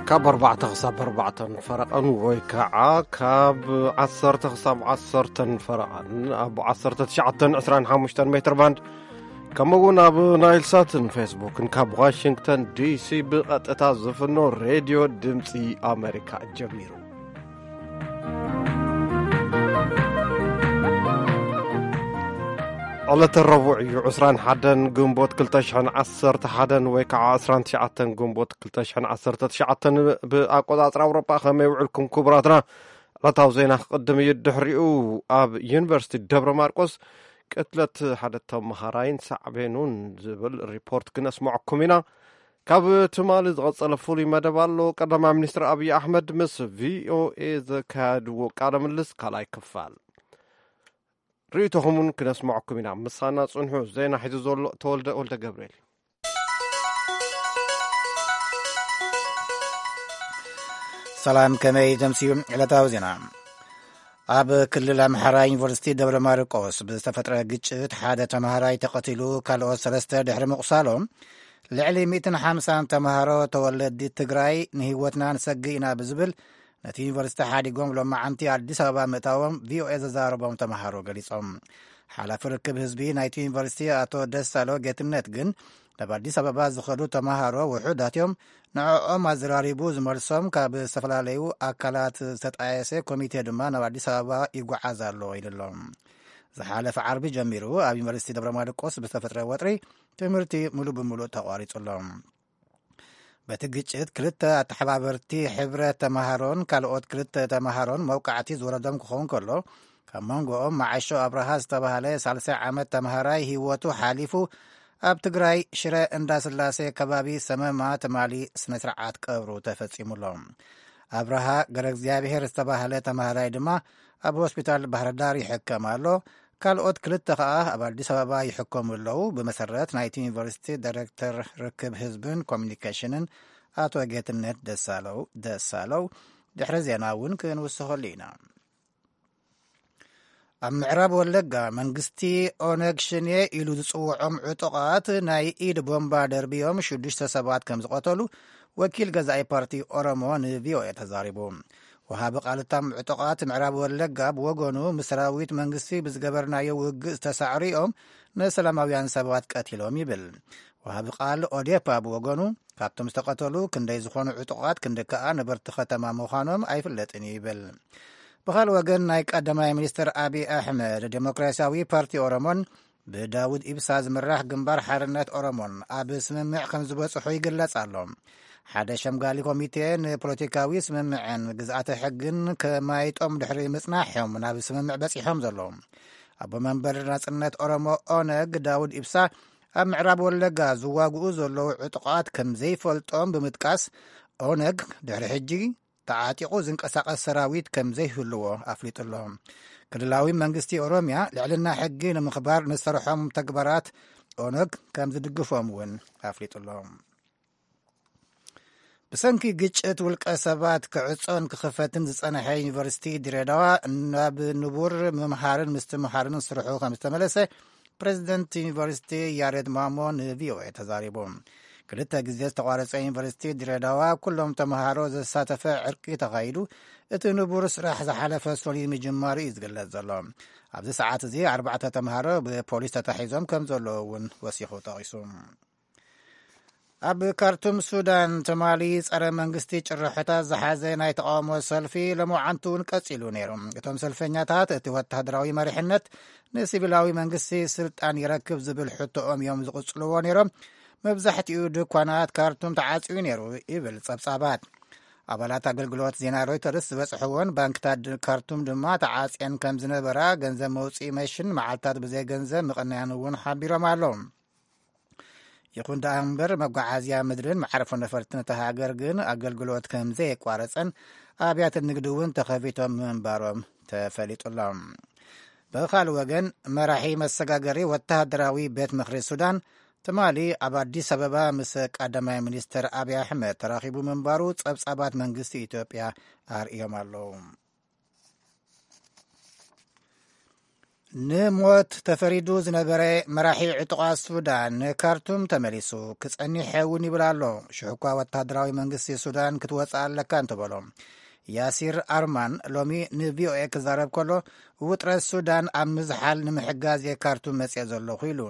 ካብ ኣርባዕተ ክሳብ ኣርባዕተን ፈረቐን ወይ ከዓ ካብ ዓሰርተ ክሳብ ዓሰርተን ፈረቐን ኣብ ዓሰርተ ትሽዓተን ዕስራን ሓሙሽተን ሜትር ባንድ፣ ከምኡ እውን ኣብ ናይል ሳትን ፌስቡክን ካብ ዋሽንግተን ዲሲ ብቐጥታ ዝፍኖ ሬድዮ ድምፂ ኣሜሪካ ጀሚሩ። ዕለተ ረቡዕ እዩ፣ ዕስራን ሓደን ግንቦት ክልተ ሽሕን ዓሰርተ ሓደን ወይ ከዓ ዕስራን ትሽዓተን ግንቦት ክልተ ሽሕን ዓሰርተ ትሽዓተን ብኣቆጻጽራ ኣውሮጳ። ከመይ ውዕልኩም ክቡራትና? ዕለታዊ ዜና ክቕድም እዩ። ድሕሪኡ ኣብ ዩኒቨርሲቲ ደብረ ማርቆስ ቅትለት ሓደ ተመሃራይን ሳዕቤኑን ዝብል ሪፖርት ክነስምዐኩም ኢና። ካብ ትማሊ ዝቐጸለ ፍሉይ መደብ ኣሎ። ቀዳማይ ሚኒስትር ኣብይ ኣሕመድ ምስ ቪኦኤ ዘካየድዎ ቃለ ምልልስ ካልኣይ ክፋል። ርእይቶኹም እውን ክነስምዐኩም ኢና። ምሳና ጽንሑ። ዜና ሒዙ ዘሎ ተወልደ ወልደ ገብርኤል እዩ። ሰላም፣ ከመይ ተምስዩ? ዕለታዊ ዜና። ኣብ ክልል ኣምሓራ ዩኒቨርሲቲ ደብረ ማርቆስ ብዝተፈጥረ ግጭት ሓደ ተማሃራይ ተቐቲሉ፣ ካልኦት ሰለስተ ድሕሪ ምቑሳሎም፣ ልዕሊ ሚእትን ሓምሳን ተማሃሮ ተወለዲ ትግራይ ንህይወትና ንሰግእ ኢና ብዝብል ነቲ ዩኒቨርሲቲ ሓዲጎም ሎማዓንቲ ኣዲስ ኣበባ ምእታዎም ቪኦኤ ዘዛረቦም ተማሃሮ ገሊጾም። ሓላፊ ርክብ ህዝቢ ናይቲ ዩኒቨርሲቲ ኣቶ ደሳሎ ጌትነት ግን፣ ናብ ኣዲስ ኣበባ ዝኸዱ ተማሃሮ ውሑዳት እዮም፣ ንዕኦም ኣዘራሪቡ ዝመልሶም ካብ ዝተፈላለዩ ኣካላት ዝተጣየሰ ኮሚቴ ድማ ናብ ኣዲስ ኣበባ ይጓዓዝ ኣሎ ኢሉ ኣሎ። ዝሓለፈ ዓርቢ ጀሚሩ ኣብ ዩኒቨርሲቲ ደብረ ማርቆስ ብዝተፈጥረ ወጥሪ ትምህርቲ ሙሉ ብሙሉእ ተቋሪጹ ኣሎ። በቲ ግጭት ክልተ ኣተሓባበርቲ ሕብረት ተማሃሮን ካልኦት ክልተ ተማሃሮን መውቃዕቲ ዝወረዶም ክኸውን ከሎ፣ ካብ መንጎኦም መዓሾ ኣብርሃ ዝተባህለ ሳልሳይ ዓመት ተማሃራይ ህይወቱ ሓሊፉ፣ ኣብ ትግራይ ሽረ እንዳስላሴ ከባቢ ሰመማ ትማሊ ስነ ስርዓት ቀብሩ ተፈጺሙሎም። ኣብርሃ ገረ እግዚኣብሔር ዝተባህለ ተማሃራይ ድማ ኣብ ሆስፒታል ባህርዳር ይሕከም ኣሎ። ካልኦት ክልተ ከኣ ኣብ ኣዲስ ኣበባ ይሕከሙ ኣለዉ። ብመሰረት ናይቲ ዩኒቨርሲቲ ዳይሬክተር ርክብ ህዝብን ኮሚኒኬሽንን ኣቶ ጌትነት ደሳለው ደሳለው፣ ድሕሪ ዜና እውን ክንውስኸሉ ኢና። ኣብ ምዕራብ ወለጋ መንግስቲ ኦነግ ሽኔ ኢሉ ዝጽውዖም ዕጡቓት ናይ ኢድ ቦምባ ደርብዮም ሽዱሽተ ሰባት ከም ዝቐተሉ ወኪል ገዛኢ ፓርቲ ኦሮሞ ንቪኦኤ ተዛሪቡ። ወሃቢ ቃል እቶም ዕጡቓት ምዕራብ ወለጋ ብወገኑ፣ ምስ ሰራዊት መንግስቲ ብዝገበርናዮ ውግእ ዝተሳዕሩ እዮም፣ ንሰላማውያን ሰባት ቀቲሎም ይብል። ወሃቢ ቃል ኦዴፓ ብወገኑ፣ ካብቶም ዝተቐተሉ ክንደይ ዝኾኑ ዕጡቓት ክንዲ ከኣ ነበርቲ ከተማ ምዃኖም ኣይፍለጥን እዩ ይብል። ብኻልእ ወገን ናይ ቀዳማይ ሚኒስትር ኣብይ ኣሕመድ ዴሞክራሲያዊ ፓርቲ ኦሮሞን ብዳውድ ኢብሳ ዝምራሕ ግንባር ሓርነት ኦሮሞን ኣብ ስምምዕ ከም ዝበጽሑ ይግለጽ ኣሎ። ሓደ ሸምጋሊ ኮሚቴ ንፖለቲካዊ ስምምዕን ግዝኣተ ሕግን ከማይጦም ድሕሪ ምጽናሕ እዮም ናብ ስምምዕ በጺሖም ዘለዉ። ኣቦ መንበር ናጽነት ኦሮሞ ኦነግ ዳውድ ኢብሳ ኣብ ምዕራብ ወለጋ ዝዋግኡ ዘለዉ ዕጡቓት ከም ዘይፈልጦም ብምጥቃስ፣ ኦነግ ድሕሪ ሕጂ ተዓጢቑ ዝንቀሳቐስ ሰራዊት ከም ዘይህልዎ ኣፍሊጡ ኣሎ። ክልላዊ መንግስቲ ኦሮምያ ልዕልና ሕጊ ንምኽባር ንዝሰርሖም ተግባራት ኦነግ ከም ዝድግፎም እውን ኣፍሊጡ ኣሎ። ብሰንኪ ግጭት ውልቀ ሰባት ክዕጾን ክኽፈትን ዝጸንሐ ዩኒቨርሲቲ ድሬዳዋ ናብ ንቡር ምምሃርን ምስትምሃርን ስርሑ ከም ዝተመለሰ ፕሬዚደንት ዩኒቨርሲቲ ያሬድ ማሞ ንቪኦኤ ተዛሪቡ። ክልተ ግዜ ዝተቋረጸ ዩኒቨርሲቲ ድሬዳዋ ኩሎም ተምሃሮ ዘሳተፈ ዕርቂ ተኻይዱ፣ እቲ ንቡር ስራሕ ዝሓለፈ ሶሊድ ምጅማሩ እዩ ዝግለጽ ዘሎ። ኣብዚ ሰዓት እዚ ኣርባዕተ ተምሃሮ ብፖሊስ ተታሒዞም ከም ዘለዉ እውን ወሲኹ ጠቒሱ። ኣብ ካርቱም ሱዳን ትማሊ ጸረ መንግስቲ ጭርሖታት ዝሓዘ ናይ ተቓውሞ ሰልፊ ሎማዓንቲ እውን ቀጺሉ ነይሩ። እቶም ሰልፈኛታት እቲ ወተሃደራዊ መሪሕነት ንሲቪላዊ መንግስቲ ስልጣን ይረክብ ዝብል ሕቶኦም እዮም ዝቕጽልዎ ነይሮም። መብዛሕትኡ ድኳናት ካርቱም ተዓጽዩ ነይሩ ይብል ጸብጻባት። ኣባላት ኣገልግሎት ዜና ሮይተርስ ዝበጽሕዎን ባንክታት ድ-፣ ካርቱም ድማ ተዓጽየን ከም ዝነበራ፣ ገንዘብ መውጽኢ መሽን መዓልታት ብዘይ ገንዘብ ምቕናያን እውን ሓቢሮም ኣለዉ። ይኹን ደኣ እምበር፣ መጓዓዝያ ምድርን መዓርፎ ነፈርትን እታ ሃገር ግን ኣገልግሎት ከም ዘየቋረጸን ኣብያተ ንግዲ እውን ተኸፊቶም ምንባሮም ተፈሊጡ ኣሎ። ብኻልእ ወገን፣ መራሒ መሰጋገሪ ወተሃደራዊ ቤት ምኽሪ ሱዳን ትማሊ ኣብ ኣዲስ ኣበባ ምስ ቀዳማይ ሚኒስትር ኣብይ ኣሕመድ ተራኺቡ ምንባሩ ጸብጻባት መንግስቲ ኢትዮጵያ ኣርእዮም ኣለዉ። ንሞት ተፈሪዱ ዝነበረ መራሒ ዕጡቓት ሱዳን ንካርቱም ተመሊሱ ክጸኒሕ እውን ይብል ኣሎ። ሽሕኳ ወታደራዊ መንግስቲ ሱዳን ክትወጽእ ኣለካ እንተበሎ። ያሲር ኣርማን ሎሚ ንቪኦኤ ክዛረብ ከሎ፣ ውጥረት ሱዳን ኣብ ምዝሓል ንምሕጋዝ እየ ካርቱም መጽኤ ዘለኹ ኢሉ።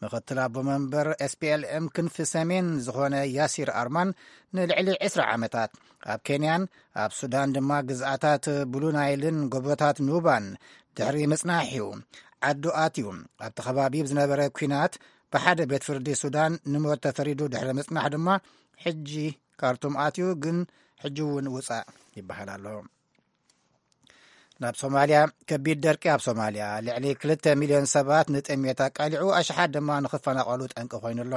ምኽትል ኣቦ መንበር ኤስፒኤልኤም ክንፊ ሰሜን ዝኾነ ያሲር ኣርማን፣ ንልዕሊ ዕስራ ዓመታት ኣብ ኬንያን ኣብ ሱዳን ድማ ግዝኣታት ብሉ ናይልን ጎቦታት ኑባን ድሕሪ ምጽናሕ እዩ ዓዱ ኣትዩ። ኣብቲ ከባቢ ብዝነበረ ኲናት ብሓደ ቤት ፍርዲ ሱዳን ንሞት ተፈሪዱ ድሕሪ ምጽናሕ ድማ፣ ሕጂ ካርቱም ኣትዩ፣ ግን ሕጂ እውን ውጻእ ይበሃል ኣሎ። ናብ ሶማልያ። ከቢድ ደርቂ ኣብ ሶማልያ፣ ልዕሊ ክልተ ሚልዮን ሰባት ንጥሜት ኣቃሊዑ፣ ኣሽሓት ድማ ንኽፈናቐሉ ጠንቂ ኮይኑ ኣሎ።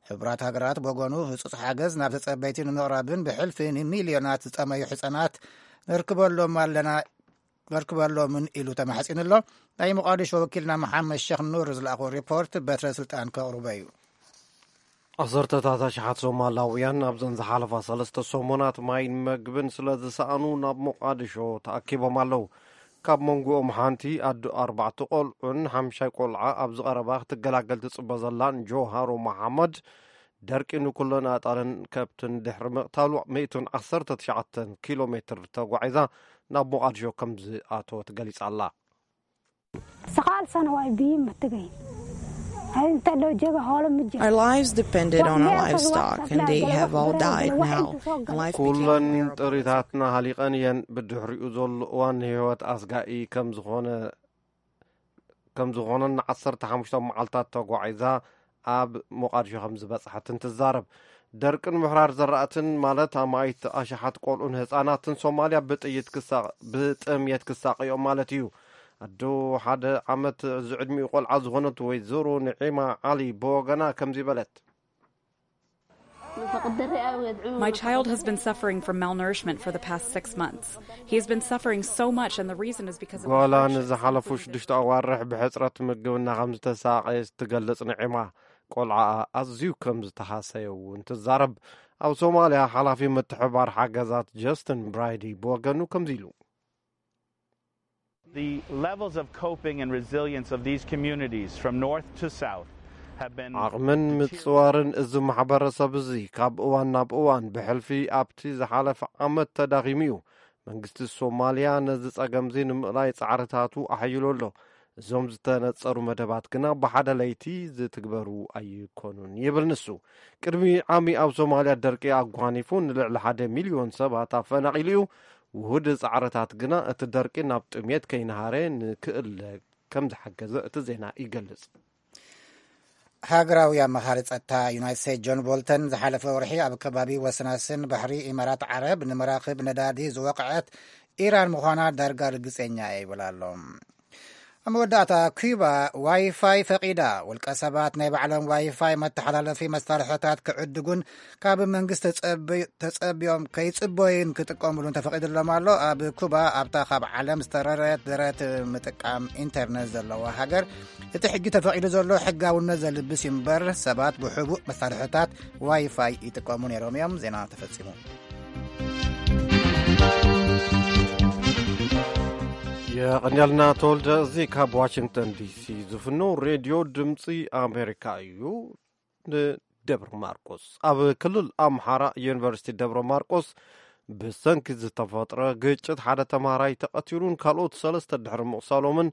ሕቡራት ሃገራት ብወገኑ ህጹጽ ሓገዝ ናብ ተጸበይቲ ንምቕራብን ብሕልፊ ንሚልዮናት ዝጠመዩ ሕጻናት ነርክበሎም ኣለና ነርክበሎምን ኢሉ ተማሕጺኑ ኣሎ። ናይ ሞቓዲሾ ወኪልና መሓመድ ሸኽ ኑር ዝለኣኾ ሪፖርት በትረ ስልጣን ከቕርቦ እዩ። ዓሰርተታት ኣሽሓት ሶማላውያን ኣብዘን ዝሓለፋ ሰለስተ ሰሙናት ማይን መግብን ስለ ዝሰኣኑ ናብ ሞቓዲሾ ተኣኪቦም ኣለዉ። ካብ መንጎኦም ሓንቲ ኣዶ ኣርባዕተ ቆልዑን ሓምሻይ ቆልዓ ኣብዚ ቀረባ ክትገላገል ትጽበ ዘላን ጆሃሮ መሓመድ፣ ደርቂ ንኩለን ኣጣልን ከብትን ድሕሪ ምቕታሉ፣ ሚእትን ዓሰርተ ትሽዓተን ኪሎ ሜትር ተጓዒዛ ናብ ሞቓዲሾ ከም ዝኣተወት ገሊጻ ኣላ። Sagaal sano waa biyo ma tegayn. Inta loo jeega hoolo ma jiro. Our lives depended on our livestock, and they have all died now. And life became ኩለን unbearable. ጥሪታትና ሃሊቐን እየን። ብድሕሪኡ ዘሎ እዋን ንህይወት ኣስጋኢ ከም ዝኾነ ከም ዝኾነን ንዓሰርተ ሓሙሽተ መዓልታት ተጓዒዛ ኣብ ሞቓዲሾ ከም ዝበጽሐትን ትዛረብ። ደርቅን ምሕራር ዘራእትን ማለት ኣማኢት ኣሽሓት ቆልዑን ህጻናትን ሶማልያ ብጥይት ክሳ-፣ ብጥምየት ክሳቐዮም ማለት እዩ። ኣዶ ሓደ ዓመት ዝዕድሚኡ ቆልዓ ዝኾነት ወይዘሮ ንዒማ ዓሊ ብወገና ከምዚ በለት። My child has been suffering from malnourishment for the past six months. He has been suffering so much, and the reason is because of the ጓላ hardships, ንዝሓለፉ including ሽዱሽተ ኣዋርሕ ብሕፅረት ምግቢ እናኸም ዝተሳቐየት ትገልጽ ንዒማ፣ ቆልዓኣ ኣዝዩ ከም ዝተሃሰየ እውን ትዛረብ። ኣብ ሶማልያ ሓላፊ ምትሕባር ሓገዛት ጀስትን ብራይዲ ብወገኑ ከምዚ ኢሉ። The levels of coping and resilience of these communities from north to south have been ዓቕምን ምጽዋርን እዚ ማሕበረሰብ እዚ ካብ እዋን ናብ እዋን ብሕልፊ ኣብቲ ዝሓለፈ ዓመት ተዳኺሙ እዩ። መንግስቲ ሶማልያ ነዚ ጸገምዚ ንምእላይ ጻዕርታቱ ኣሕይሉ ኣሎ። እዞም ዝተነጸሩ መደባት ግና ብሓደ ለይቲ ዝትግበሩ ኣይኮኑን ይብል ንሱ። ቅድሚ ዓሚ ኣብ ሶማልያ ደርቂ ኣጓኒፉ ንልዕሊ ሓደ ሚልዮን ሰባት ኣፈናቒሉ እዩ። ውሁድ ጻዕርታት ግና እቲ ደርቂ ናብ ጥሜት ከይነሃረ ንክእለ ከም ዝሓገዘ እቲ ዜና ይገልጽ። ሃገራዊ ኣመኻሪ ጸጥታ ዩናይትድ ስቴትስ ጆን ቦልተን ዝሓለፈ ወርሒ ኣብ ከባቢ ወሰናስን ባሕሪ ኢማራት ዓረብ ንመራኽብ ነዳዲ ዝወቕዐት ኢራን ምዃና ዳርጋ ርግጸኛ እየ ይብል ኣሎ። ኣብ መወዳእታ፣ ኩባ ዋይፋይ ፈቒዳ። ውልቀ ሰባት ናይ ባዕሎም ዋይፋይ መተሓላለፊ መሳርሕታት ክዕድጉን ካብ መንግስቲ ተጸብዮም ከይጽበዩን ክጥቀምሉን ተፈቒድሎም ኣሎ። ኣብ ኩባ፣ ኣብታ ካብ ዓለም ዝተረረት ደረት ምጥቃም ኢንተርነት ዘለዋ ሃገር፣ እቲ ሕጂ ተፈቒዱ ዘሎ ሕጋውነት ዘልብስ እዩ እምበር፣ ሰባት ብሕቡእ መሳርሕታት ዋይፋይ ይጥቀሙ ነይሮም እዮም። ዜና ተፈጺሙ። የቐንያልና ተወልደ። እዚ ካብ ዋሽንግተን ዲሲ ዝፍኖ ሬድዮ ድምፂ ኣሜሪካ እዩ። ንደብረ ማርቆስ። ኣብ ክልል ኣምሓራ ዩኒቨርሲቲ ደብረ ማርቆስ ብሰንኪ ዝተፈጥረ ግጭት ሓደ ተምሃራይ ተቐቲሉን ካልኦት ሰለስተ ድሕሪ ምቕሳሎምን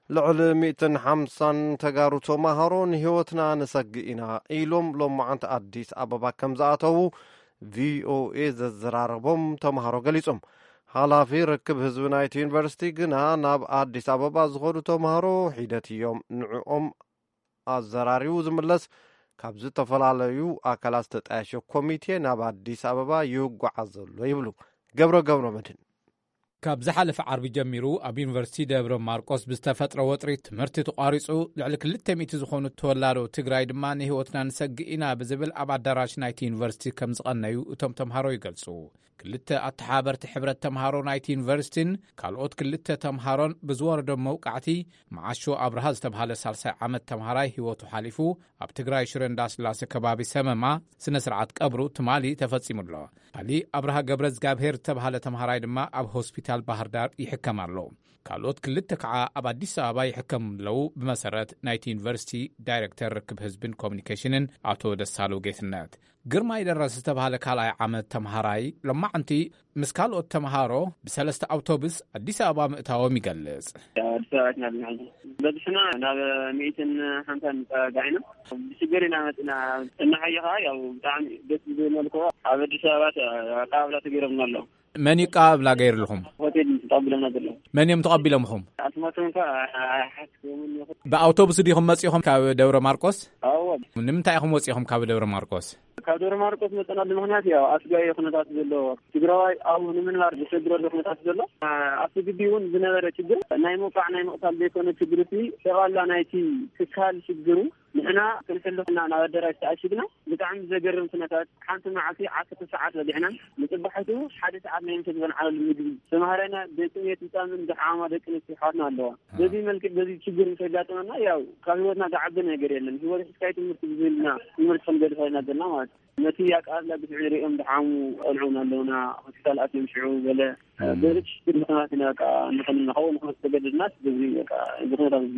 ልዕሊ ሚእትን ሓምሳን ተጋሩ ተማሃሮ ንህይወትና ንሰግእ ኢና ኢሎም ሎማዓንቲ ኣዲስ ኣበባ ከም ዝኣተዉ ቪኦኤ ዘዘራረቦም ተምሃሮ ገሊጾም። ሓላፊ ርክብ ህዝቢ ናይቲ ዩኒቨርሲቲ ግና ናብ ኣዲስ ኣበባ ዝኸዱ ተምሃሮ ሒደት እዮም ንዕኦም ኣዘራሪቡ ዝምለስ ካብ ዝተፈላለዩ ኣካላት ዝተጣየሸ ኮሚቴ ናብ ኣዲስ ኣበባ ይጓዓዝ ዘሎ ይብሉ ገብረ ገብረ መድህን። ካብ ዝሓለፈ ዓርቢ ጀሚሩ ኣብ ዩኒቨርሲቲ ደብረ ማርቆስ ብዝተፈጥረ ወጥሪ ትምህርቲ ተቋሪጹ፣ ልዕሊ ክልተ ሚእቲ ዝኾኑ ተወላዶ ትግራይ ድማ ንህይወትና ንሰግእ ኢና ብዝብል ኣብ ኣዳራሽ ናይቲ ዩኒቨርሲቲ ከም ዝቐነዩ እቶም ተምሃሮ ይገልጹ። ክልተ ኣተሓባርቲ ሕብረት ተምሃሮ ናይቲ ዩኒቨርሲቲን ካልኦት ክልተ ተምሃሮን ብዝወረዶም መውቃዕቲ፣ መዓሾ ኣብርሃ ዝተብሃለ ሳልሳይ ዓመት ተምሃራይ ህይወቱ ሓሊፉ፣ ኣብ ትግራይ ሽረ እንዳስላሴ ከባቢ ሰመማ ስነ ስርዓት ቀብሩ ትማሊ ተፈጺሙ ኣሎ። ካልእ ኣብርሃ ገብረ እግዚኣብሔር ዝተብሃለ ተምሃራይ ድማ ኣብ ሆስፒታል ሆስፒታል ባህር ዳር ይሕከም ኣሎ። ካልኦት ክልተ ከዓ ኣብ ኣዲስ ኣበባ ይሕከሙ ኣለዉ፣ ብመሰረት ናይቲ ዩኒቨርሲቲ ዳይሬክተር ርክብ ህዝብን ኮሚኒኬሽንን ኣቶ ደሳሉ ጌትነት። ግርማይ ደረስ ዝተባህለ ካልኣይ ዓመት ተምሃራይ፣ ሎማዓንቲ ምስ ካልኦት ተምሃሮ ብሰለስተ ኣውቶቡስ ኣዲስ ኣበባ ምእታዎም ይገልጽ። ኣዲስ ኣበባ ኢና ዘለና። በዚሕና ናብ ሚእትን ሓምሳን ንጸጋዕ ኢና። ብሽግር ኢና መጺና። እናሓየኻ ያው ብጣዕሚ ደስ ዝብል መልክዑ ኣብ ኣዲስ ኣበባ ኣቀባብላ ተገይሮምና ኣሎ። መን እዩ ኣቀባብላ ገይርልኹም? ሆቴል ተቐቢሎምና ዘሎ። መን እዮም ተቐቢሎምኹም? ኣስማቶም እንኳ ኣይሓስቦምን ይኹን። ብኣውቶቡስ ዲኹም መጺኹም ካብ ደብረ ማርቆስ? ኣዎ። ንምንታይ ኢኹም ወጺኹም ካብ ደብረ ማርቆስ? ካብ ደብረ ማርቆስ መጸናሉ ምኽንያት ያው ኣስጋኢ ኩነታት ዘሎ ትግራዋይ ኣብኡ ንምንባር ዘሸግረሉ ኩነታት ዘሎ ኣብቲ ግቢ እውን ዝነበረ ችግር ናይ ምውቃዕ ናይ ምቕታል ዘይኮነ ችግር እቲ ጠቕላላ ናይቲ ትካል ችግሩ ንሕና ክንሕልኹና ናብ ኣደራሽ ተኣሽግና። ብጣዕሚ ዘገርም ኩነታት፣ ሓንቲ መዓልቲ ዓሰርተ ሰዓት በሊዕና፣ ንጽባሒቱ ሓደ ሰዓት ናይ ምሸት ዝበልዓሉ ምግቢ ተማሃራይና ደቂ ቤት ህጻንን ዝሓማ ደቂ ኣንስትዮ ኣሕዋትና ኣለዋ። በዚ መልክዕ በዚ ችግር ምስ ኣጋጠመና ያው ካብ ህይወትና ዝዓቢ ነገር የለን። ህይወት ሒዝካይ ትምህርቲ ብዝብልና ትምህርቲ ክንገድፋ ኢና ዘለና ማለት እዩ። ነቲ ኣቀባብላ ግፍዒ ሪኦም ዝሓሙ ቆልዑ እውን ኣለውና። ሆስፒታል ኣትዮም ሽዑ ገለ በዚ ችግር ምኽንያት ኢና በቃ ንኽንናኸው ንኽንተገደድናስ በዚ በቃ እዚ ኩነታት እዚ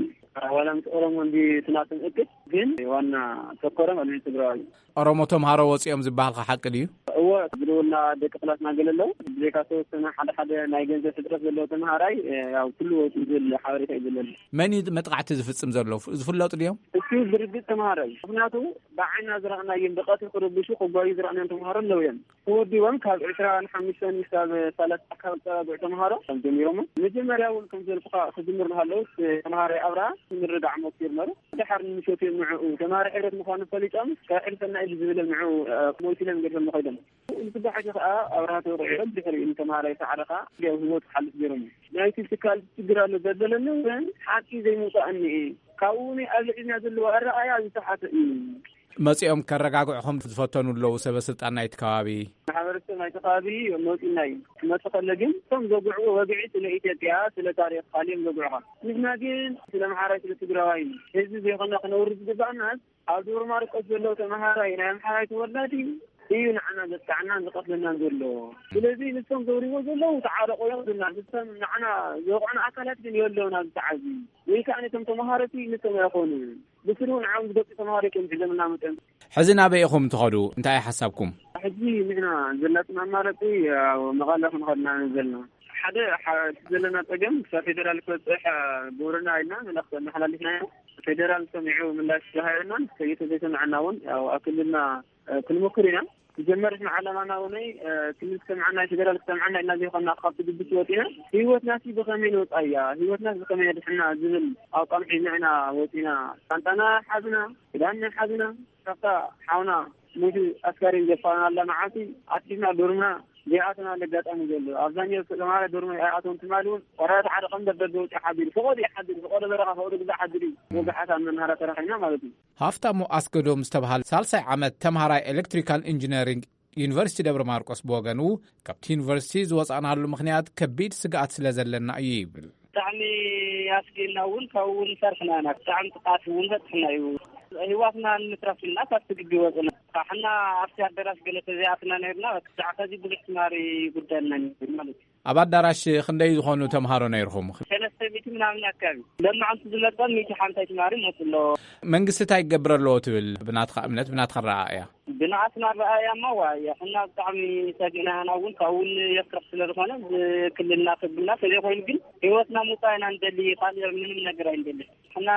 ዋላ ምስ ኦሮሞ እንዲ ትናትን እቅድ ግን ዋና ተኮረ ማለት ትግራዋይ። ኦሮሞ ተምሃሮ ወፂኦም ዝበሃልካ ሓቂ ድዩ? እዎ ዝደወልና ደቂ ክላስና ገለ ኣለዉ። ብዘይካ ዝተወሰነ ሓደ ሓደ ናይ ገንዘብ ሕፅረት ዘለዎ ተምሃራይ ያው ኩሉ ወፂኡ ዝብል ሓበሬታ እዩ ዘለኒ። መን እዩ መጥቃዕቲ ዝፍፅም ዘሎ ዝፍለጡ ድዮም? እሱ ብርግፅ ተምሃራይ ምክንያቱ ብዓይና ዝረኣናዮም ብቐትሪ ክረብሹ ክጓዩ ዝረኣናዮም ተምሃሮ ኣለዉ እዮም። ተወዲቦም ካብ ዕስራን ሓሙሽተን ክሳብ ሰላሳ ካብ ዝጸጋግዑ ተምሃሮ ከም ጀሚሮሞ መጀመርያ እውን ከም ዘልኩኻ ክጅምር ንሃለዉ ተምሃራይ ኣብርሃ ምርዳዕ ሞኪር ነሩ። ድሓር ንምሸት እዮም ንዕኡ ተምሃራይ ሕብረት ምዃኑ ፈሊጦም ካብ ሕልፈና ኢሉ ዝብለ ንዕኡ ሞይቱ ኢሎም ገድፎም ንኸይዶም። ንስባሕቲ ከኣ ኣብርሃ ተወቂዑ ድሕሪኡ ንተምሃራይ ሰዓረ ከኣ ያው ህይወቱ ክሓልፍ ገይሮም። ናይቲ ትካል ችግር ኣሎ ዘበለኒ እውን ሓቂ ዘይምውፃእ እኒኤ። ካብኡ እውን ኣብ ልዕልና ዘለዎ ኣረኣያ ዝተሓተ እዩ። መጺኦም ከረጋግዕኹም ዝፈተኑ ኣለዉ ሰበ ስልጣን ናይቲ ከባቢ? ማሕበረሰብ ናይቲ ከባቢ መጺና እዩ። ክመጽእ ከሎ ግን እቶም ዘጉዕዎ ወግዒ ስለ ኢትዮጵያ ስለ ታሪኽ ካልዮም ዘጉዕኻ። ንሕና ግን ስለ ኣምሓራይ ስለ ትግራዋይ ህዝቢ ዘይኮና ክነውርድ ዝግባእናስ ኣብ ደብረ ማርቆስ ዘለዉ ተምሃራይ ናይ ኣምሓራይ ተወላዲ እዩ ንዓና ዘጥቃዕናን ዝቐትለናን ዘሎ። ስለዚ ንሶም ዘውሪዎ ዘለዉ ተዓረቑ እዮም ዝብሉና። ንሶም ንዓና ዘውቕዑና ኣካላት ግን የለውን ኣብዚ ሰዓት እዚ። ወይ ከዓ ነቶም ተምሃሮቲ ንሶም ኣይኾኑን። ብስሩ ንዓም ዝገጹ ተምሃሮ እዮም ሒዞምና መፅኦም። ሕዚ ናበይ ኢኹም ትኸዱ? እንታይ እዩ ሓሳብኩም? ሕጂ ንሕና ዘላትና ኣማራፂ ኣብ መቐለ ክንኸድና ዘለና። ሓደ ሐ-፣ እቲ ዘለና ፀገም ክሳብ ፌደራል ክበፅሕ ግብርና ኢልና መልእኽቲ ኣመሓላሊፍና ኢና። ፌደራል ሰሚዑ ምላሽ ዝሃበና፣ ከይተ ዘይሰምዐና እውን ያው ኣብ ክልልና ክንሞክር ኢና። ዝጀመር ንዓለማና እውን ክልል ክሰምዓና ፌደራል ክሰምዓና ኢልና ዘይኮና ካብቲ ግብስ ወፂና። ህይወትና ሲ ብኸመይ ንወፃ እያ፣ ህይወትና ብኸመይ ነድሕና ዝብል ኣቋም ሒዝና ኢና ወፂና። ቃንጣና ሓዝና፣ ክዳንና ሓዝና፣ ካብታ ሓውና ሞይቱ ኣስካሬን ዘፋናላ መዓልቲ ኣትሒዝና ዶርምና ዘይኣተናሉ ኣጋጣሚ ዘሎ። ኣብዛኛው ተማሃራይ ዶርም ኣይኣተውን ትማሊ እውን ቆራያት ሓደ ቀንበር ደገ ውፅእ ሓዲሩ። ፈቐዶ እዩ ሓዲሩ። ፈቐዶ በረኻ፣ ፈቐዶ ግዛዕ ሓዲሩ እዩ። ወግሓት ኣብ መናሃርያ ተራኺብና ማለት እዩ። ሃፍታሙ ኣስገዶም ዝተብሃለ ሳልሳይ ዓመት ተምሃራይ ኤሌክትሪካል ኢንጂነሪንግ ዩኒቨርሲቲ ደብረ ማርቆስ ብወገኑ፣ ካብቲ ዩኒቨርሲቲ ዝወፃእናሉ ምኽንያት ከቢድ ስግኣት ስለ ዘለና እዩ ይብል። ብጣዕሚ ኣስጊእና እውን ካብኡ እውን ፈርሕና ኢና። ብጣዕሚ ጥቃት እውን በፅሕና እዩ። ህይወትና ንምትራፍ ኢልና ካብቲ ግቢ ወፅና። ሕና ኣብቲ ኣደራሽ ገለ ተዘይኣትና ነይርና፣ ብዛዕባ እዚ ብዙሕ ትማሪ ጉዳይና ነይሩ ማለት እዩ። ኣብ ኣዳራሽ ክንደይ ዝኾኑ ተምሃሮ ነይርኹም? ሰለስተ ሚእቲ ምናምን ኣካባቢ። ለማዓንቲ ዝመጸ ሚእቲ ሓምሳይ ትማሪ መጽ ኣሎ። መንግስቲ እንታይ ይገብር ኣለዎ ትብል? ብናትኻ እምነት፣ ብናትኻ ረኣእያ? ብናትና ረኣእያ እማ ዋ፣ ሕና ብጣዕሚ ሰጊእና ኢና። እውን ካብኡ እውን የፍርሕ ስለ ዝኾነ፣ ብክልልና ከብልና ተዘይኮይኑ ግን ህይወትና ምውፃእ ኢና ንደሊ፣ ካልእ ምንም ነገር ኣይንደሊ። ሕና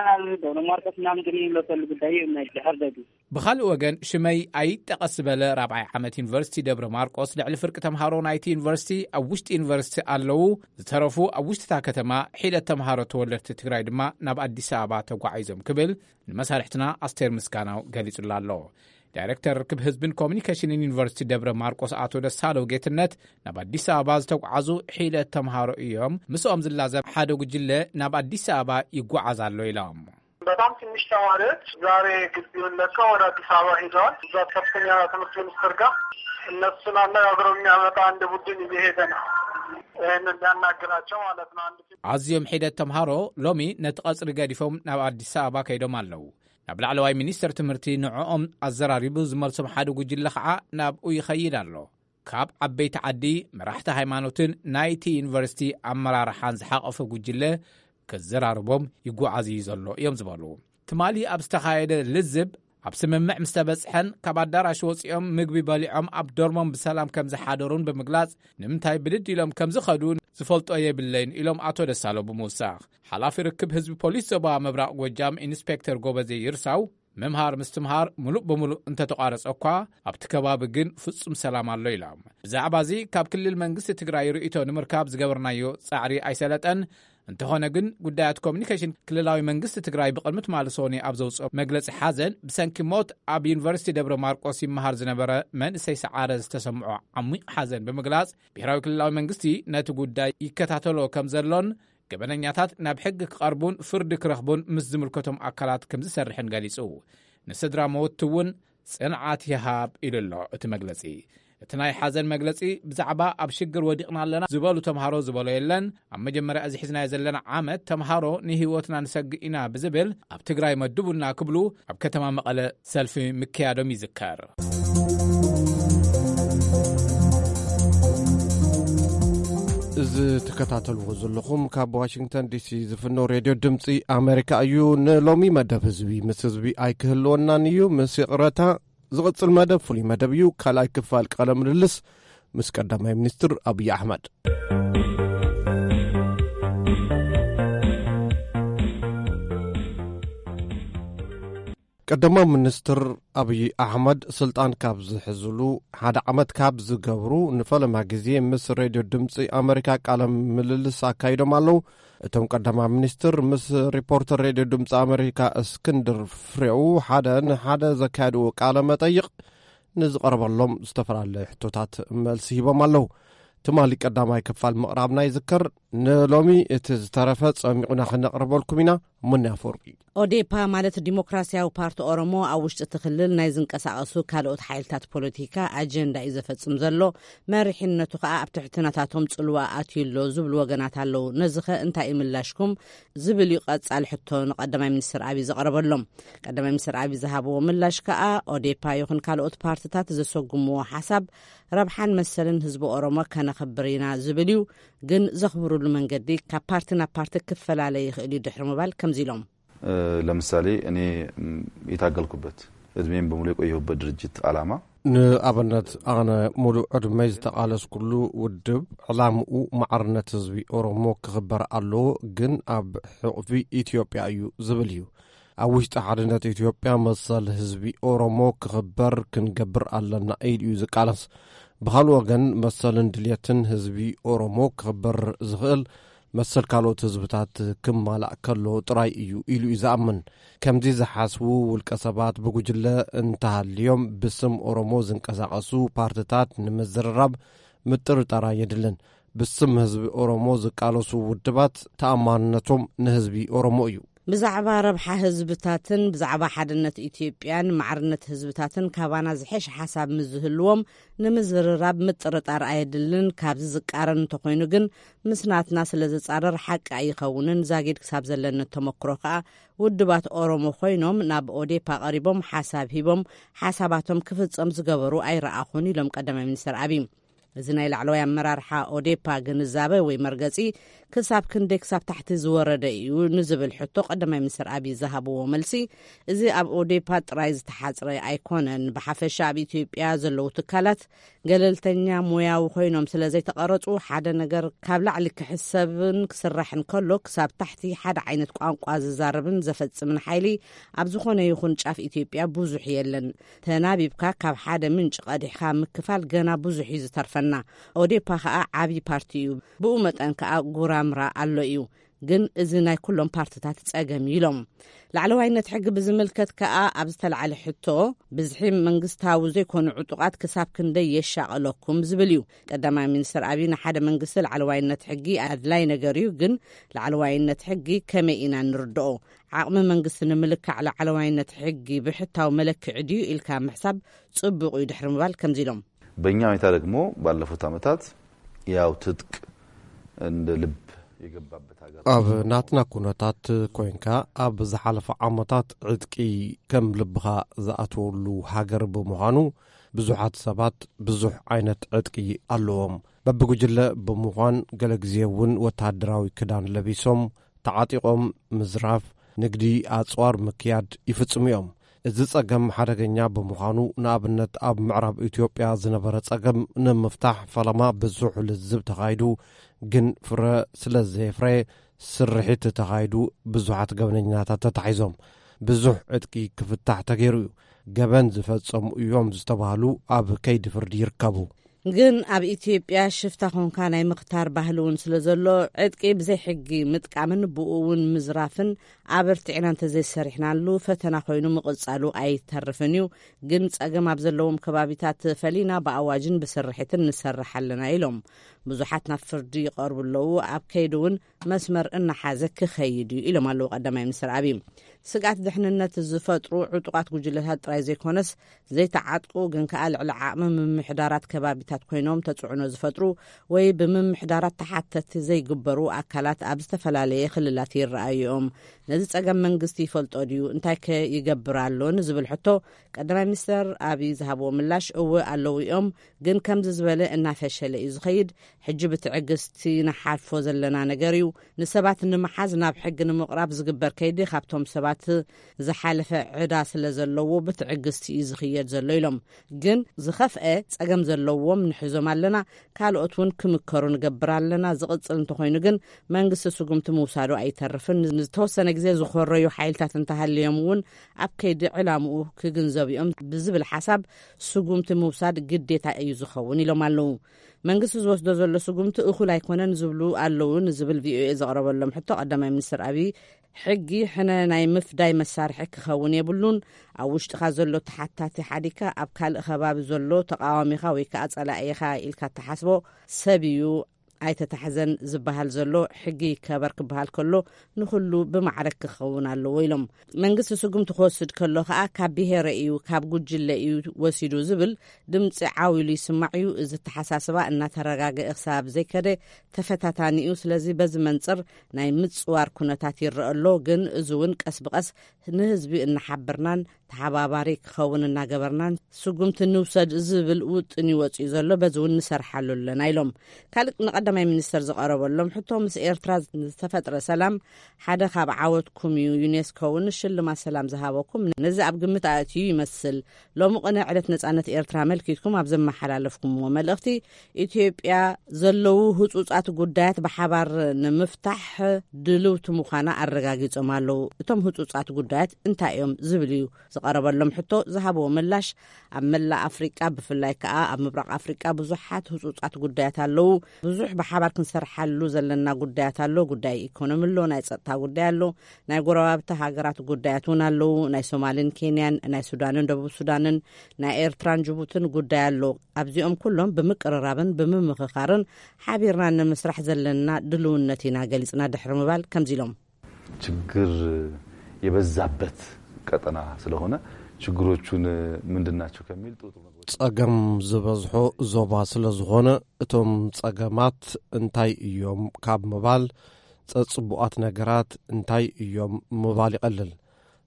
ደብረ ማርቆስ ምናምን ግን ይምለሰሉ ጉዳይ እዩ፣ ናይ ድሕር ደግ። ብኻልእ ወገን፣ ሽመይ ኣይጠቐስ ዝበለ ራብዓይ ዓመት ዩኒቨርሲቲ ደብረ ማርቆስ፣ ልዕሊ ፍርቂ ተምሃሮ ናይቲ ዩኒቨርሲቲ ኣብ ውሽጢ ዩኒቨርሲቲ ኣለዉ፣ ዝተረፉ ኣብ ውሽጢ እታ ከተማ ሒደት ተምሃሮ ተወለድቲ ትግራይ ድማ ናብ ኣዲስ ኣበባ ተጓዒዞም ክብል ንመሳርሕትና ኣስቴር ምስጋናው ገሊጹላ ኣሎ። ዳይሬክተር ርክብ ህዝብን ኮሚኒኬሽንን ዩኒቨርሲቲ ደብረ ማርቆስ ኣቶ ደሳለው ጌትነት፣ ናብ ኣዲስ ኣበባ ዝተጓዓዙ ሒደት ተምሃሮ እዮም፣ ምስኦም ዝላዘብ ሓደ ጉጅለ ናብ ኣዲስ ኣበባ ይጓዓዝ ኣሎ ኢሎም። በጣም ትንሽ ተማሪዎች ዛሬ ግቢውን ለቀው ወደ አዲስ አበባ ሄደዋል። እዛ ከፍተኛ ትምህርት ሚኒስትር ጋር እነሱን አነጋግሮ የሚያመጣ አንድ ቡድን እየሄደ ነው፣ ይህንን ሊያናግራቸው ማለት ነው። አንድ አዝዮም ሒደት ተምሃሮ ሎሚ ነቲ ቀጽሪ ገዲፎም ናብ ኣዲስ ኣበባ ከይዶም ኣለዉ። ናብ ላዕለዋይ ሚኒስተር ትምህርቲ ንዕኦም ኣዘራሪቡ ዝመልሶም ሓደ ጉጅለ ኸዓ ናብኡ ይኸይድ ኣሎ። ካብ ዓበይቲ ዓዲ፣ መራሕቲ ሃይማኖትን ናይቲ ዩኒቨርሲቲ ኣመራርሓን ዝሓቐፈ ጉጅለ ክዘራርቦም ይጓዓዝ እዩ ዘሎ እዮም ዝበሉ። ትማሊ ኣብ ዝተኻየደ ልዝብ፣ ኣብ ስምምዕ ምስ ተበጽሐን ካብ ኣዳራሽ ወጺኦም ምግቢ በሊዖም ኣብ ዶርሞም ብሰላም ከም ዝሓደሩን ብምግላጽ፣ ንምንታይ ብድድ ኢሎም ከም ዝኸዱ ዝፈልጦ የብለይን ኢሎም ኣቶ ደሳሎ ብምውሳኽ። ሓላፊ ርክብ ህዝቢ ፖሊስ ዞባ ምብራቕ ጎጃም ኢንስፔክተር ጎበዜ ይርሳው፣ ምምሃር ምስትምሃር ምሉእ ብምሉእ እንተተቋረጸ እኳ፣ ኣብቲ ከባቢ ግን ፍጹም ሰላም ኣሎ ኢሎም። ብዛዕባ እዚ ካብ ክልል መንግስቲ ትግራይ ርእይቶ ንምርካብ ዝገበርናዮ ጻዕሪ ኣይሰለጠን። እንተኾነ ግን፣ ጉዳያት ኮሚኒኬሽን ክልላዊ መንግስቲ ትግራይ ብቕድሚ ትማሊ ሰኑይ ኣብ ዘውፅኦ መግለጺ ሓዘን፣ ብሰንኪ ሞት ኣብ ዩኒቨርሲቲ ደብረ ማርቆስ ይመሃር ዝነበረ መንእሰይ ሰዓረ ዝተሰምዖ ዓሚቕ ሓዘን ብምግላጽ፣ ብሄራዊ ክልላዊ መንግስቲ ነቲ ጉዳይ ይከታተሎ ከም ዘሎን ገበነኛታት ናብ ሕጊ ክቐርቡን ፍርዲ ክረኽቡን ምስ ዝምልከቶም ኣካላት ከም ዝሰርሕን ገሊጹ። ንስድራ መወትቲ እውን ጽንዓት ይሃብ ኢሉ ኣሎ እቲ መግለጺ። እቲ ናይ ሓዘን መግለጺ ብዛዕባ ኣብ ሽግር ወዲቕና ኣለና ዝበሉ ተምሃሮ ዝበሎ የለን። ኣብ መጀመርያ እዚ ሒዝናዮ ዘለና ዓመት ተምሃሮ ንህይወትና ንሰግእ ኢና ብዝብል ኣብ ትግራይ መድቡና ክብሉ ኣብ ከተማ መቐለ ሰልፊ ምክያዶም ይዝከር። እዚ ትከታተልዎ ዘለኹም ካብ ዋሽንግተን ዲሲ ዝፍኖ ሬድዮ ድምፂ ኣሜሪካ እዩ። ንሎሚ መደብ ህዝቢ ምስ ህዝቢ ኣይክህልወናን እዩ። ምስ ይቕረታ፣ ዝቕጽል መደብ ፍሉይ መደብ እዩ። ካልኣይ ክፋል ቃለ ምልልስ ምስ ቀዳማይ ሚኒስትር ኣብይ ኣሕመድ። ቀዳማይ ሚኒስትር ኣብይ ኣሕመድ ስልጣን ካብ ዝሕዝሉ ሓደ ዓመት ካብ ዝገብሩ ንፈለማ ግዜ ምስ ሬድዮ ድምፂ ኣሜሪካ ቃለ ምልልስ ኣካይዶም ኣለዉ። እቶም ቀዳማይ ሚኒስትር ምስ ሪፖርተር ሬድዮ ድምፂ ኣሜሪካ እስክንድር ፍሬው ሓደ ንሓደ ዘካየድዎ ቃለ መጠይቕ ንዝቐረበሎም ዝተፈላለየ ሕቶታት መልሲ ሂቦም ኣለዉ። ትማሊ ቀዳማይ ክፋል ምቕራብና ይዝከር። ንሎሚ እቲ ዝተረፈ ጸሚቑና ክነቕርበልኩም ኢና። ሙኒ ኣፈወርቂ። ኦዴፓ ማለት ዲሞክራሲያዊ ፓርቲ ኦሮሞ ኣብ ውሽጢ እቲ ክልል ናይ ዝንቀሳቐሱ ካልኦት ሓይልታት ፖለቲካ ኣጀንዳ እዩ ዘፈጽም ዘሎ፣ መሪሕነቱ ከኣ ኣብ ትሕቲ ናታቶም ጽልዋ ኣትዩ ኣሎ ዝብሉ ወገናት ኣለዉ። ነዚ ኸ እንታይ እዩ ምላሽኩም? ዝብል እዩ ቀጻሊ ሕቶ ንቀዳማይ ሚኒስትር ኣብይ ዘቕረበሎም። ቀዳማይ ሚኒስትር ኣብይ ዝሃብዎ ምላሽ ከኣ፣ ኦዴፓ ይኹን ካልኦት ፓርትታት ዘሰጉምዎ ሓሳብ ረብሓን መሰልን ህዝቢ ኦሮሞ ከነኽብር ኢና ዝብል እዩ። ግን ዘኽብሩሉ መንገዲ ካብ ፓርቲ ናብ ፓርቲ ክፈላለ ይኽእል እዩ ድሕሪ ምባል ከምዚ ኢሎም። እ፣ ለምሳሌ እኔ፣ ም፣ የታገልኩበት፣ እድሜም በሙሉ የቆየሁበት ድርጅት ዓላማ ንኣብነት ኣነ ሙሉእ ዕድመይ ዝተቓለስኩሉ ውድብ ዕላምኡ ማዕርነት ህዝቢ ኦሮሞ ክኽበር ኣለዎ፣ ግን ኣብ ሕቕፊ ኢትዮጵያ እዩ ዝብል እዩ። ኣብ ውሽጢ ሓድነት ኢትዮጵያ መሰል ህዝቢ ኦሮሞ ክኽበር ክንገብር ኣለና ኢሉ እዩ ዝቃለስ። ብኻልእ ወገን መሰልን ድልየትን ህዝቢ ኦሮሞ ክኽበር ዝኽእል መሰል ካልኦት ህዝብታት ክማላእ ከሎ ጥራይ እዩ ኢሉ እዩ ዝኣምን። ከምዚ ዝሓስቡ ውልቀ ሰባት ብጉጅለ እንተሃልዮም ብስም ኦሮሞ ዝንቀሳቐሱ ፓርትታት ንምዝርራብ ምጥርጣር ኣየድልን። ብስም ህዝቢ ኦሮሞ ዝቃለሱ ውድባት ተኣማንነቶም ንህዝቢ ኦሮሞ እዩ። ብዛዕባ ረብሓ ህዝብታትን ብዛዕባ ሓድነት ኢትዮጵያን ማዕርነት ህዝብታትን ካባና ዝሐሽ ሓሳብ ምስ ዝህልዎም ንምዝርራብ ምጥርጣር ኣየድልን። ካብዚ ዝቃረን እንተኾይኑ ግን ምስ ናትና ስለ ዝጻረር ሓቂ ኣይኸውንን። ዛጊድ ክሳብ ዘለኒ ተመክሮ ከኣ ውድባት ኦሮሞ ኮይኖም ናብ ኦዴፓ ቀሪቦም ሓሳብ ሂቦም ሓሳባቶም ክፍጸም ዝገበሩ ኣይረኣኹን ኢሎም ቀዳማይ ሚኒስትር ኣብይ። እዚ ናይ ላዕለዋይ ኣመራርሓ ኦዴፓ ግንዛበ ወይ መርገጺ ክሳብ ክንደይ ክሳብ ታሕቲ ዝወረደ እዩ ንዝብል ሕቶ ቀዳማይ ሚኒስትር ኣብይ ዝሃብዎ መልሲ፣ እዚ ኣብ ኦዴፓ ጥራይ ዝተሓጽረ ኣይኮነን። ብሓፈሻ ኣብ ኢትዮጵያ ዘለዉ ትካላት ገለልተኛ ሞያዊ ኮይኖም ስለ ዘይተቐረጹ፣ ሓደ ነገር ካብ ላዕሊ ክሕሰብን ክስራሕን ከሎ ክሳብ ታሕቲ ሓደ ዓይነት ቋንቋ ዝዛረብን ዘፈጽምን ሓይሊ ኣብ ዝኾነ ይኹን ጫፍ ኢትዮጵያ ብዙሕ የለን። ተናቢብካ ካብ ሓደ ምንጪ ቀዲሕካ ምክፋል ገና ብዙሕ እዩ ዝተርፈና። ኦዴፓ ከኣ ዓብዪ ፓርቲ እዩ። ብኡ መጠን ከኣ ጉራምራ ኣሎ እዩ። ግን እዚ ናይ ኩሎም ፓርትታት ጸገም እዩ ኢሎም። ላዕለዋይነት ሕጊ ብዝምልከት ከኣ ኣብ ዝተላዕለ ሕቶ፣ ብዝሒ መንግስታዊ ዘይኮኑ ዕጡቓት ክሳብ ክንደይ የሻቕለኩም ዝብል እዩ። ቀዳማይ ሚኒስትር ኣብይ ንሓደ መንግስቲ ላዕለዋይነት ሕጊ ኣድላይ ነገር እዩ፣ ግን ላዕለዋይነት ሕጊ ከመይ ኢና ንርድኦ? ዓቕሚ መንግስቲ ንምልካዕ ላዕለዋይነት ሕጊ ብሕታዊ መለክዒ ድዩ ኢልካ ምሕሳብ ጽቡቕ እዩ ድሕሪ ምባል ከምዚ ኢሎም። በእኛ ሁኔታ ደግሞ ባለፉት ዓመታት ያው ትጥቅ እንደ ልብ የገባበት ሀገር። ኣብ ናትና ኩነታት ኮይንካ፣ ኣብ ዝሓለፈ ዓመታት ዕጥቂ ከም ልብኻ ዝኣትወሉ ሃገር ብምዃኑ፣ ብዙሓት ሰባት ብዙሕ ዓይነት ዕጥቂ ኣለዎም። በብጉጅለ ብምዃን፣ ገለ ግዜ እውን ወተሃደራዊ ክዳን ለቢሶም፣ ተዓጢቖም ምዝራፍ፣ ንግዲ ኣጽዋር ምክያድ ይፍጽሙ እዮም። እዚ ጸገም ሓደገኛ ብምዃኑ፣ ንኣብነት ኣብ ምዕራብ ኢትዮጵያ ዝነበረ ጸገም ንምፍታሕ ፈለማ ብዙሕ ልዝብ ተኻይዱ፣ ግን ፍረ ስለ ዘየፍረየ፣ ስርሒት ተኻይዱ፣ ብዙሓት ገበነኛታት ተታሒዞም። ብዙሕ ዕጥቂ ክፍታሕ ተገይሩ እዩ። ገበን ዝፈጸሙ እዮም ዝተባህሉ ኣብ ከይዲ ፍርዲ ይርከቡ። ግን ኣብ ኢትዮጵያ ሽፍታ ኾንካ ናይ ምኽታር ባህሊ እውን ስለ ዘሎ፣ ዕጥቂ ብዘይ ሕጊ ምጥቃምን ብኡ እውን ምዝራፍን ኣበርቲዕና እንተዘይሰሪሕናሉ ፈተና ኮይኑ ምቕጻሉ ኣይተርፍን እዩ። ግን ጸገም ኣብ ዘለዎም ከባቢታት ፈሊና ብኣዋጅን ብስርሒትን ንሰርሕ ኣለና ኢሎም። ብዙሓት ናብ ፍርዲ ይቐርቡ ኣለዉ። ኣብ ከይዲ እውን መስመር እናሓዘ ክኸይድ እዩ ኢሎም ኣለዉ ቀዳማይ ሚኒስትር ኣብይ። ስግኣት ድሕንነት ዝፈጥሩ ዕጡቓት ጉጅለታት ጥራይ ዘይኮነስ፣ ዘይተዓጥቁ ግን ከኣ ልዕሊ ዓቕሚ ምምሕዳራት ከባቢታት ኮይኖም ተጽዕኖ ዝፈጥሩ ወይ ብምምሕዳራት ተሓተቲ ዘይግበሩ ኣካላት ኣብ ዝተፈላለየ ክልላት ይረኣዩ እዮም። ነዚ ጸገም መንግስቲ ይፈልጦ ድዩ? እንታይ ከ ይገብር ኣሎ ንዝብል ሕቶ፣ ቀዳማይ ሚኒስተር ኣብይ ዝሃብዎ ምላሽ፣ እወ ኣለዉ እዮም፣ ግን ከምዚ ዝበለ እናፈሸለ እዩ ዝኸይድ። ሕጂ ብትዕግስቲ ንሓልፎ ዘለና ነገር እዩ። ንሰባት ንምሓዝ ናብ ሕጊ ንምቕራብ ዝግበር ከይዲ ካብቶም ሰባት ዝሓለፈ ዕዳ ስለ ዘለዎ ብትዕግስቲ እዩ ዝኽየድ ዘሎ ኢሎም። ግን ዝኸፍአ ጸገም ዘለዎም ንሕዞም ኣለና፣ ካልኦት እውን ክምከሩ ንገብር ኣለና። ዝቕጽል እንተኾይኑ ግን መንግስቲ ስጉምቲ ምውሳዱ ኣይተርፍን። ንዝተወሰነ ግዜ ዝኾረዩ ሓይልታት እንተሃልዮም እውን ኣብ ከይዲ ዕላምኡ ክግንዘቡ እዮም ብዝብል ሓሳብ ስጉምቲ ምውሳድ ግዴታ እዩ ዝኸውን ኢሎም ኣለዉ። መንግስቲ ዝወስዶ ዘሎ ስጉምቲ እኹል ኣይኮነን ዝብሉ ኣለዉ ንዝብል ቪኦኤ ዘቕረበሎም ሕቶ፣ ቀዳማይ ሚኒስትር ኣብይ፣ ሕጊ ሕነ ናይ ምፍዳይ መሳርሒ ክኸውን የብሉን። ኣብ ውሽጥኻ ዘሎ ተሓታቲ ሓዲግካ ኣብ ካልእ ከባቢ ዘሎ ተቃዋሚኻ ወይ ከዓ ጸላኢኻ ኢልካ እትሓስቦ ሰብ እዩ ኣይተታሕዘን ዝበሃል ዘሎ። ሕጊ ይከበር ክበሃል ከሎ ንኹሉ ብማዕረ ክኸውን ኣለዎ ኢሎም። መንግስቲ ስጉምቲ ክወስድ ከሎ ከዓ ካብ ብሄረ እዩ፣ ካብ ጉጅለ እዩ ወሲዱ ዝብል ድምፂ ዓው ኢሉ ይስማዕ እዩ። እዚ ኣተሓሳስባ እናተረጋገአ ክሳብ ዘይከደ ተፈታታኒ እዩ። ስለዚ በዚ መንፅር ናይ ምፅዋር ኩነታት ይረአ ኣሎ። ግን እዚ እውን ቀስ ብቀስ ንህዝቢ እናሓበርናን ተሓባባሪ ክኸውን እናገበርናን ስጉምቲ ንውሰድ ዝብል ውጥን ይወፅእ ዘሎ። በዚ እውን ንሰርሓሉ ኣለና ኢሎም። ካልእ ንቀዳማይ ሚኒስተር ዝቐረበሎም ሕቶ፣ ምስ ኤርትራ ዝተፈጥረ ሰላም ሓደ ካብ ዓወትኩም እዩ። ዩኔስኮ እውን ሽልማት ሰላም ዝሃበኩም ነዚ ኣብ ግምት ኣእትዩ ይመስል። ሎሚ ቅነ ዕለት ነጻነት ኤርትራ ኣመልኪትኩም ኣብ ዘመሓላለፍኩምዎ መልእኽቲ፣ ኢትዮጵያ ዘለዉ ህጹጻት ጉዳያት ብሓባር ንምፍታሕ ድልውቲ ምዃና ኣረጋጊጾም ኣለዉ። እቶም ህጹጻት ጉዳያት እንታይ እዮም ዝብል እዩ ዝቐረበሎም ሕቶ ዝሃብዎ ምላሽ፣ ኣብ መላእ ኣፍሪቃ ብፍላይ ከኣ ኣብ ምብራቕ ኣፍሪቃ ብዙሓት ህጹጻት ጉዳያት ኣለዉ። ብዙሕ ብሓባር ክንሰርሓሉ ዘለና ጉዳያት ኣሎ። ጉዳይ ኢኮኖሚ ኣሎ፣ ናይ ጸጥታ ጉዳይ ኣሎ፣ ናይ ጎረባብቲ ሃገራት ጉዳያት እውን ኣለዉ። ናይ ሶማልን ኬንያን፣ ናይ ሱዳንን ደቡብ ሱዳንን፣ ናይ ኤርትራን ጅቡትን ጉዳይ ኣሎ። ኣብዚኦም ኩሎም ብምቅርራብን ብምምኽኻርን ሓቢርና ንምስራሕ ዘለና ድልውነት ኢና ገሊጽና ድሕሪ ምባል ከምዚ ኢሎም። ችግር የበዛበት ቀጠና ስለሆነ ችግሮቹን ምንድን ናቸው ከሚል ጥሩ ጥሩ ነገሮች ጸገም ዝበዝሖ ዞባ ስለ ዝኾነ፣ እቶም ጸገማት እንታይ እዮም ካብ ምባል፣ ጸጽቡኣት ነገራት እንታይ እዮም ምባል ይቐልል።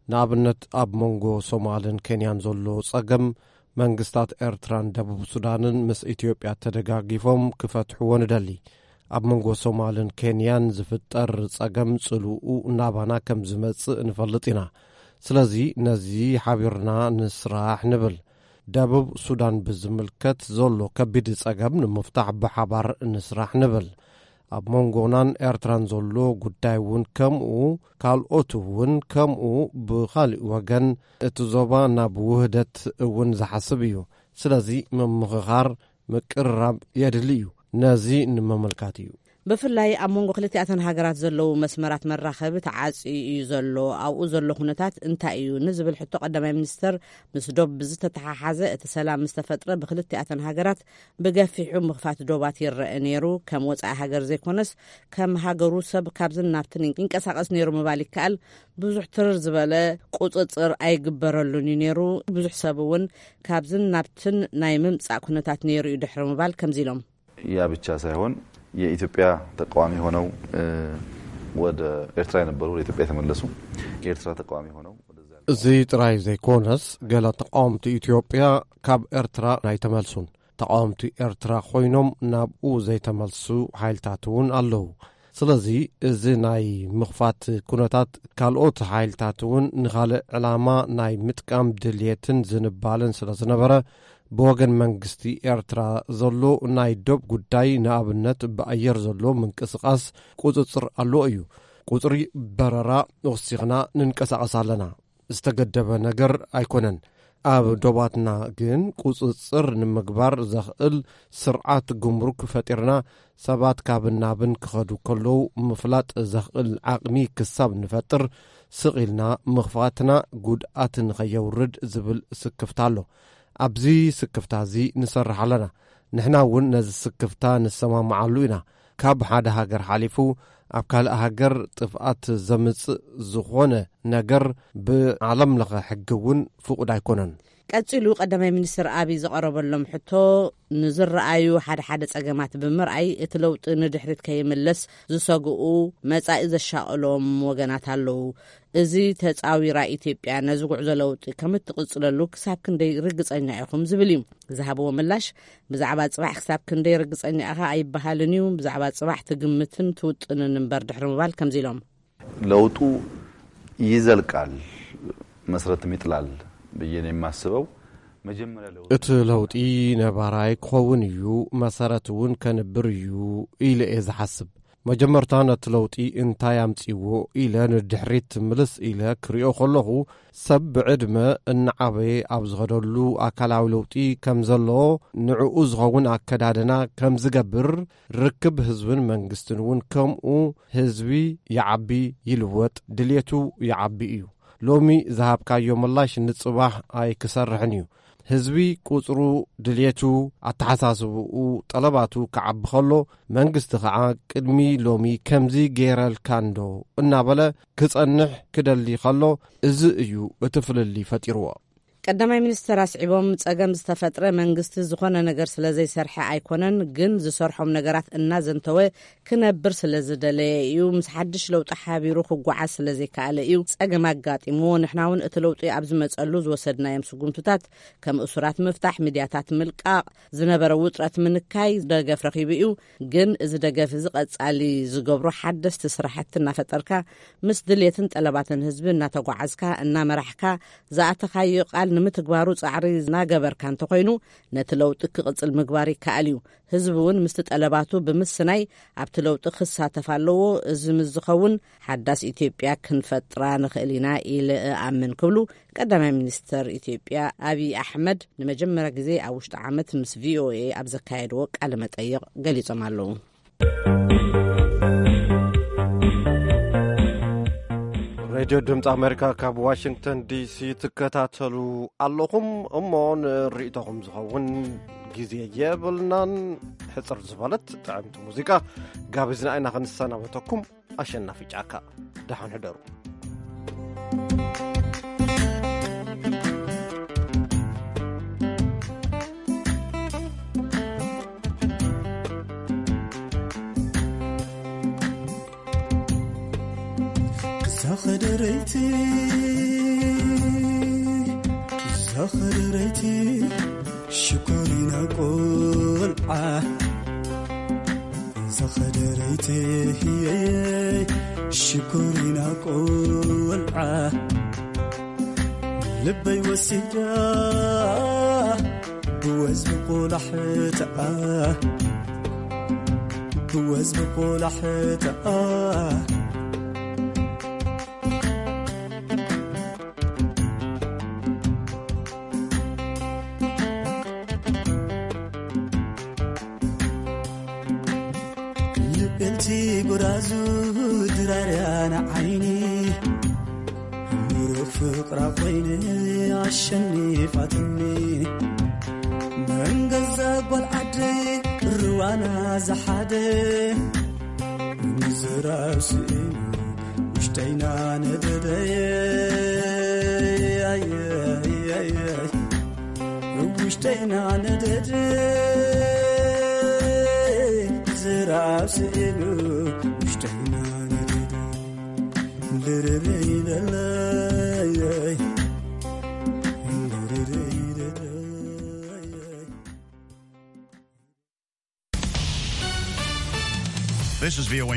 ንኣብነት፣ ኣብ መንጎ ሶማልን ኬንያን ዘሎ ጸገም፣ መንግስታት ኤርትራን ደቡብ ሱዳንን ምስ ኢትዮጵያ ተደጋጊፎም ክፈትሕዎ ንደሊ። ኣብ መንጎ ሶማልን ኬንያን ዝፍጠር ጸገም ጽልኡ ናባና ከም ዝመጽእ ንፈልጥ ኢና። ስለዚ ነዚ ሓቢርና ንስራሕ ንብል። ደቡብ ሱዳን ብዝምልከት ዘሎ ከቢድ ጸገም ንምፍታሕ ብሓባር ንስራሕ ንብል። ኣብ መንጎናን ኤርትራን ዘሎ ጉዳይ እውን ከምኡ፣ ካልኦት እውን ከምኡ። ብኻሊእ ወገን፣ እቲ ዞባ ናብ ውህደት እውን ዝሓስብ እዩ። ስለዚ ምምኽኻር፣ ምቅርራብ የድሊ እዩ። ነዚ ንምምልካት እዩ። ብፍላይ ኣብ መንጎ ክልቲኣተን ሃገራት ዘለዉ መስመራት መራኸቢ ተዓጽዩ እዩ ዘሎ። ኣብኡ ዘሎ ኩነታት እንታይ እዩ ንዝብል ሕቶ ቀዳማይ ሚኒስተር፣ ምስ ዶብ ብዝተተሓሓዘ፣ እቲ ሰላም ምስ ተፈጥረ ብክልቲኣተን ሃገራት ብገፊሑ ምኽፋት ዶባት ይረአ ነይሩ። ከም ወጻኢ ሃገር ዘይኮነስ ከም ሃገሩ ሰብ ካብዝን ናብትን ይንቀሳቐስ ነይሩ ምባል ይከኣል። ብዙሕ ትርር ዝበለ ቁጽጽር ኣይግበረሉን እዩ ነይሩ። ብዙሕ ሰብ እውን ካብዝን ናብትን ናይ ምምጻእ ኩነታት ነይሩ እዩ ድሕሪ ምባል ከምዚ ኢሎም። ያ ብቻ ሳይሆን የኢትዮጵያ ተቃዋሚ ሆነው ወደ ኤርትራ የነበሩ ወደ ኢትዮጵያ የተመለሱ፣ የኤርትራ ተቃዋሚ ሆነው ወደዛ ያሉ። እዚ ጥራይ ዘይኮነስ፣ ገለ ተቃወምቲ ኢትዮጵያ ካብ ኤርትራ ኣይተመልሱን። ተቃወምቲ ኤርትራ ኮይኖም ናብኡ ዘይተመልሱ ሓይልታት እውን ኣለዉ። ስለዚ፣ እዚ ናይ ምኽፋት ኩነታት ካልኦት ሓይልታት እውን ንኻልእ ዕላማ ናይ ምጥቃም ድልየትን ዝንባለን ስለ ዝነበረ፣ ብወገን መንግስቲ ኤርትራ ዘሎ ናይ ዶብ ጉዳይ፣ ንኣብነት ብኣየር ዘሎ ምንቅስቓስ ቁጽጽር ኣለዎ እዩ። ቁጽሪ በረራ ወሲኽና ንንቀሳቐስ ኣለና። ዝተገደበ ነገር ኣይኮነን። ኣብ ዶባትና ግን ቁጽጽር ንምግባር ዘኽእል ስርዓት ጉምሩክ ፈጢርና፣ ሰባት ካብን ናብን ክኸዱ ከለዉ ምፍላጥ ዘኽእል ዓቕሚ ክሳብ ንፈጥር፣ ስቕ ኢልና ምኽፋትና ጉድኣት ንኸየውርድ ዝብል ስክፍታ ኣሎ። ኣብዚ ስክፍታ እዚ ንሰርሕ ኣለና። ንሕና እውን ነዚ ስክፍታ ንሰማማዓሉ ኢና። ካብ ሓደ ሃገር ሓሊፉ ኣብ ካልእ ሃገር ጥፍኣት ዘምጽእ ዝኾነ ነገር ብዓለም ለኸ ሕጊ እውን ፍቑድ ኣይኮነን። ቀጺሉ ቀዳማይ ሚኒስትር ኣብይ ዝቐረበሎም ሕቶ፣ ንዝረኣዩ ሓደ ሓደ ጸገማት ብምርኣይ፣ እቲ ለውጢ ንድሕሪት ከይምለስ ዝሰግኡ፣ መጻኢ ዘሻቕሎም ወገናት ኣለዉ። እዚ ተጻዊራ ኢትዮጵያ ነዚ ጉዕዞ ለውጢ ከም እትቕጽለሉ ክሳብ ክንደይ ርግጸኛ ኢኹም ዝብል እዩ። ዝሃብዎ ምላሽ፣ ብዛዕባ ጽባሕ ክሳብ ክንደይ ርግጸኛ ኢኻ ኣይበሃልን እዩ። ብዛዕባ ጽባሕ ትግምትን ትውጥንን እምበር ድሕሪ ምባል ከምዚ ኢሎም። ለውጡ ይዘልቃል፣ መሰረትም ይጥላል ብዬ ነው የማስበው። መጀመሪያ ለውጡ እቲ ለውጢ ነባራይ ክኸውን እዩ፣ መሰረት እውን ከንብር እዩ ኢለ እየ ዝሓስብ። መጀመርታ ነቲ ለውጢ እንታይ ኣምጺዎ ኢለ ንድሕሪት ምልስ ኢለ ክሪኦ ከለኹ፣ ሰብ ብዕድመ እናዓበየ ኣብ ዝኸደሉ ኣካላዊ ለውጢ ከም ዘሎ፣ ንዕኡ ዝኸውን ኣከዳድና ከም ዝገብር፣ ርክብ ህዝብን መንግስትን እውን ከምኡ፣ ህዝቢ ይዓቢ ይልወጥ፣ ድልየቱ ይዓቢ እዩ። ሎሚ ዝሃብካዮ ምላሽ ንጽባሕ ኣይክሰርሕን እዩ። ህዝቢ ቁጽሩ፣ ድልየቱ፣ ኣተሓሳስብኡ፣ ጠለባቱ ክዓቢ ከሎ፣ መንግስቲ ኸዓ ቅድሚ ሎሚ ከምዚ ገይረልካ እንዶ እናበለ ክጸንሕ ክደሊ ከሎ፣ እዚ እዩ እቲ ፍልልይ ፈጢርዎ። ቀዳማይ ሚኒስትር ኣስዒቦም፣ ጸገም ዝተፈጥረ መንግስቲ ዝኾነ ነገር ስለ ዘይሰርሐ ኣይኮነን፣ ግን ዝሰርሖም ነገራት እናዘንተወ ክነብር ስለ ዝደለየ እዩ። ምስ ሓድሽ ለውጢ ሓቢሩ ክጓዓዝ ስለ ዘይከኣለ እዩ ጸገም ኣጋጢምዎ። ንሕና እውን እቲ ለውጢ ኣብ ዝመጸሉ ዝወሰድናዮም ስጉምትታት፣ ከም እሱራት ምፍታሕ፣ ሚድያታት ምልቃቕ፣ ዝነበረ ውጥረት ምንካይ ደገፍ ረኺቡ እዩ። ግን እዚ ደገፍ እዚ ቀጻሊ ዝገብሮ ሓደስቲ ስራሕቲ እናፈጠርካ፣ ምስ ድሌትን ጠለባትን ህዝቢ እናተጓዓዝካ፣ እናመራሕካ፣ ዝኣተኻዮ ቃል ንምትግባሩ ጻዕሪ እናገበርካ እንተኾይኑ፣ ነቲ ለውጢ ክቕጽል ምግባር ይከኣል እዩ። ህዝቢ እውን ምስቲ ጠለባቱ ብምስናይ ኣብቲ ለውጢ ክሳተፍ ኣለዎ። እዚ ምስ ዝኸውን ሓዳስ ኢትዮጵያ ክንፈጥራ ንኽእል ኢና ኢለ እኣምን ክብሉ ቀዳማይ ሚኒስተር ኢትዮጵያ ኣብይ ኣሕመድ ንመጀመርያ ግዜ ኣብ ውሽጢ ዓመት ምስ ቪኦኤ ኣብ ዘካየድዎ ቃለ መጠይቕ ገሊጾም ኣለዉ። ሬድዮ ድምፂ ኣሜሪካ ካብ ዋሽንግተን ዲሲ ትከታተሉ ኣለኹም። እሞ ንርእይቶኹም ዝኸውን ግዜ የብልናን። ሕፅር ዝበለት ጥዕምቲ ሙዚቃ ጋቢዝና ኢና ክንሰናበተኩም። ኣሸናፊ ጫካ፣ ደሓን ሕደሩ። ዛኸደረይቲ ዛኸደረይቲ ሽኮሪና ቆልዓ፣ ዛኸደረይቲ ሽኮሪና ቆልዓ፣ ልበይ ወሲዳ ብወዝቢ ቆላሕትኣ፣ ብወዝቢ ቆላሕትኣ። ልቤልቲ ጎራዙ ድራርያ ንዓይኒ፣ ምሩኽ ፍቕራ ኮይነ ኣሸኒፋትኒ። መን ገዛ ጓል ዓደይ ርዋና ዝሓደ፣ ምዝራብ ስኢኑ ውሽጠይና ነደደ። ኣየይ፣ ኣየይ፣ ውሽጠይና ነደደ። ዝራ ስኢሉ ውሽጠይ ማለዳ ድርርይ ደለይ ድርርይ ደለይ This is V O A